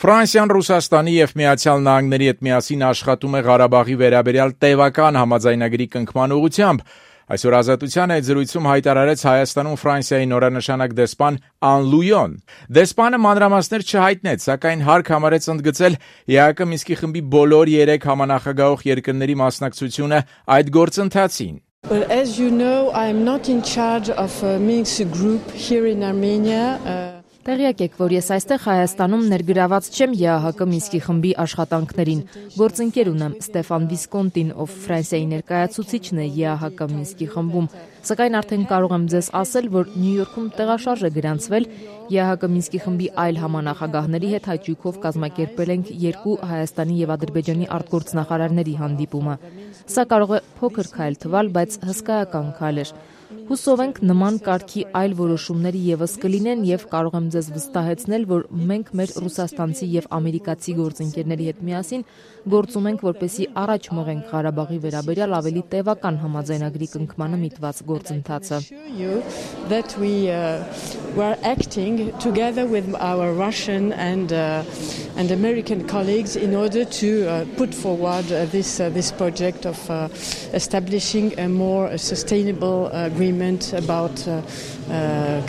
Ֆրանսիան Ռուսաստանի և Միացյալ Նահանգների հետ միասին աշխատում է Ղարաբաղի վերաբերյալ տևական համաձայնագրի կնքման ուղղությամբ։ Այսօր Ազատության այդ զրույցում հայտարարեց Հայաստանում Ֆրանսիայի նորանշանակ դեսպան Ան Լույոն։ Դեսպանը մանրամասներ չհայտնեց, սակայն հարկ համարեց ընդգծել ԵԱՀԿ Մինսկի խմբի բոլոր 3 համանախագահող երկրների մասնակցությունը այդ գործընթացին։ Well, as you know, I am not in charge of a Minsk group here in Armenia. Տեղյակ եք, որ ես այստեղ Հայաստանում ներգրաված չեմ ԵԱՀԿ Մինսկի խմբի աշխատանքներին։ Գործընկեր ունեմ Ստեֆան Վիսկոնտին, ով Ֆրանսիայի ներկայացուցիչն է ԵԱՀԿ Մինսկի խմբում, սակայն արդեն կարող եմ ձեզ ասել, որ Նյու Յորքում տեղաշարժ է գրանցվել ԵԱՀԿ Մինսկի խմբի այլ համանախագահների հետ հաճույքով կազմակերպել ենք 2 Հայաստանի և Ադրբեջանի արտգործնախարարների հանդիպումը։ Սա կարող է փոքր քայլ թվալ, բայց հսկայական քայլ էր։ Հուսով ենք նման կարգի այլ որոշումների ևս կլինեն և կարող եմ ձեզ վստահեցնել, որ մենք մեր ռուսաստանցի և ամերիկացի գործընկերների հետ միասին գործում ենք, որպեսզի առաջ մղենք Ղարաբաղի վերաբերյալ ավելի տևական համաձայնագրի կնքմանը միտված գործընթացը։ That we are acting together with our Russian and American colleagues in order to put forward this project of establishing a more sustainable agreement about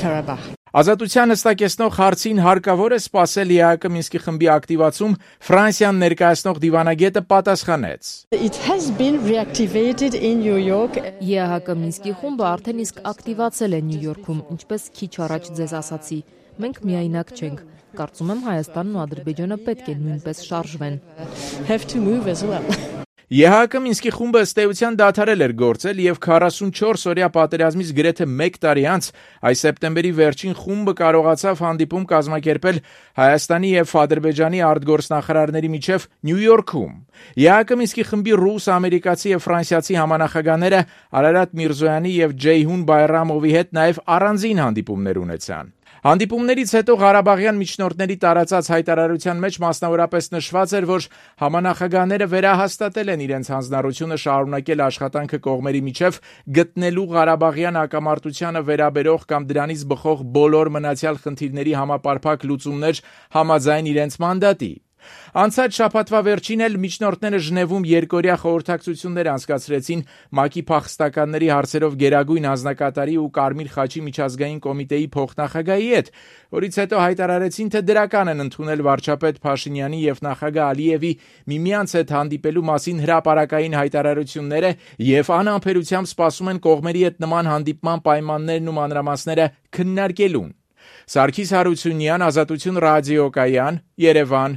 Karabakh. Ազատության հստակեցնող հարցին հարկավոր է սպասել ԵԱՀԿ Մինսկի խմբի ակտիվացում, Ֆրանսիան ներկայացնող դիվանագետը պատասխանեց. It has been reactivated in New York. ԵԱՀԿ Մինսկի խումբը արդեն իսկ ակտիվացել է Նյու Յորքում, ինչպես քիչ առաջ ձեզ ասացի։ Մենք միայնակ չենք։ Կարծում եմ Հայաստանն ու Ադրբեջանը պետք է նույնպես շարժվեն։ Have to move as well. ԵԱՀԿ Մինսկի խումբը ըստ էության դադարել էր գործել և 44-օրյա պատերազմից գրեթե 1 տարի անց այս սեպտեմբերի վերջին խումբը կարողացավ հանդիպում կազմակերպել Հայաստանի և Ադրբեջանի արտգործնախարարների միջև Նյու Յորքում։ ԵԱՀԿ Մինսկի խմբի ռուս, ամերիկացի և ֆրանսիացի համանախագահները Արարատ Միրզոյանի և Ջեյհուն Բայրամովի հետ նաև առանձին հանդիպումներ ունեցան։ Հանդիպումներից հետո Ղարաբաղյան միջնորդների տարածած հայտարարության մեջ մասնավորապես նշված էր, որ համանախագահները վերահաստատել են իրենց հանձնառությունը շարունակել աշխատանքը կողմերի միջև գտնելու Ղարաբաղյան հակամարտությանը վերաբերող կամ դրանից բխող բոլոր մնացյալ խնդիրների համապարփակ լուծումներ համաձայն իրենց մանդատի։ Անցած շաբաթվա վերջին էլ միջնորդները Ժնևում երկօրյա խորհրդակցություններ անցկացրեցին ՄԱԿ-ի փախստականների հարցերով գերագույն հանձնակատարի ու Կարմիր խաչի միջազգային կոմիտեի փոխնախագահի հետ, որից հետո հայտարարեցին, թե դրական են ընդունել վարչապետ Փաշինյանի և նախագահ Ալիևի միմյանց հետ հանդիպելու մասին հրապարակային հայտարարությունները և անհամբերությամբ սպասում են կողմերի հետ նման հանդիպման պայմաններն ու մանրամասները քննարկելուն։ Սարգիս Հարությունյան, Ազատություն ռադիոկայան, Երևան։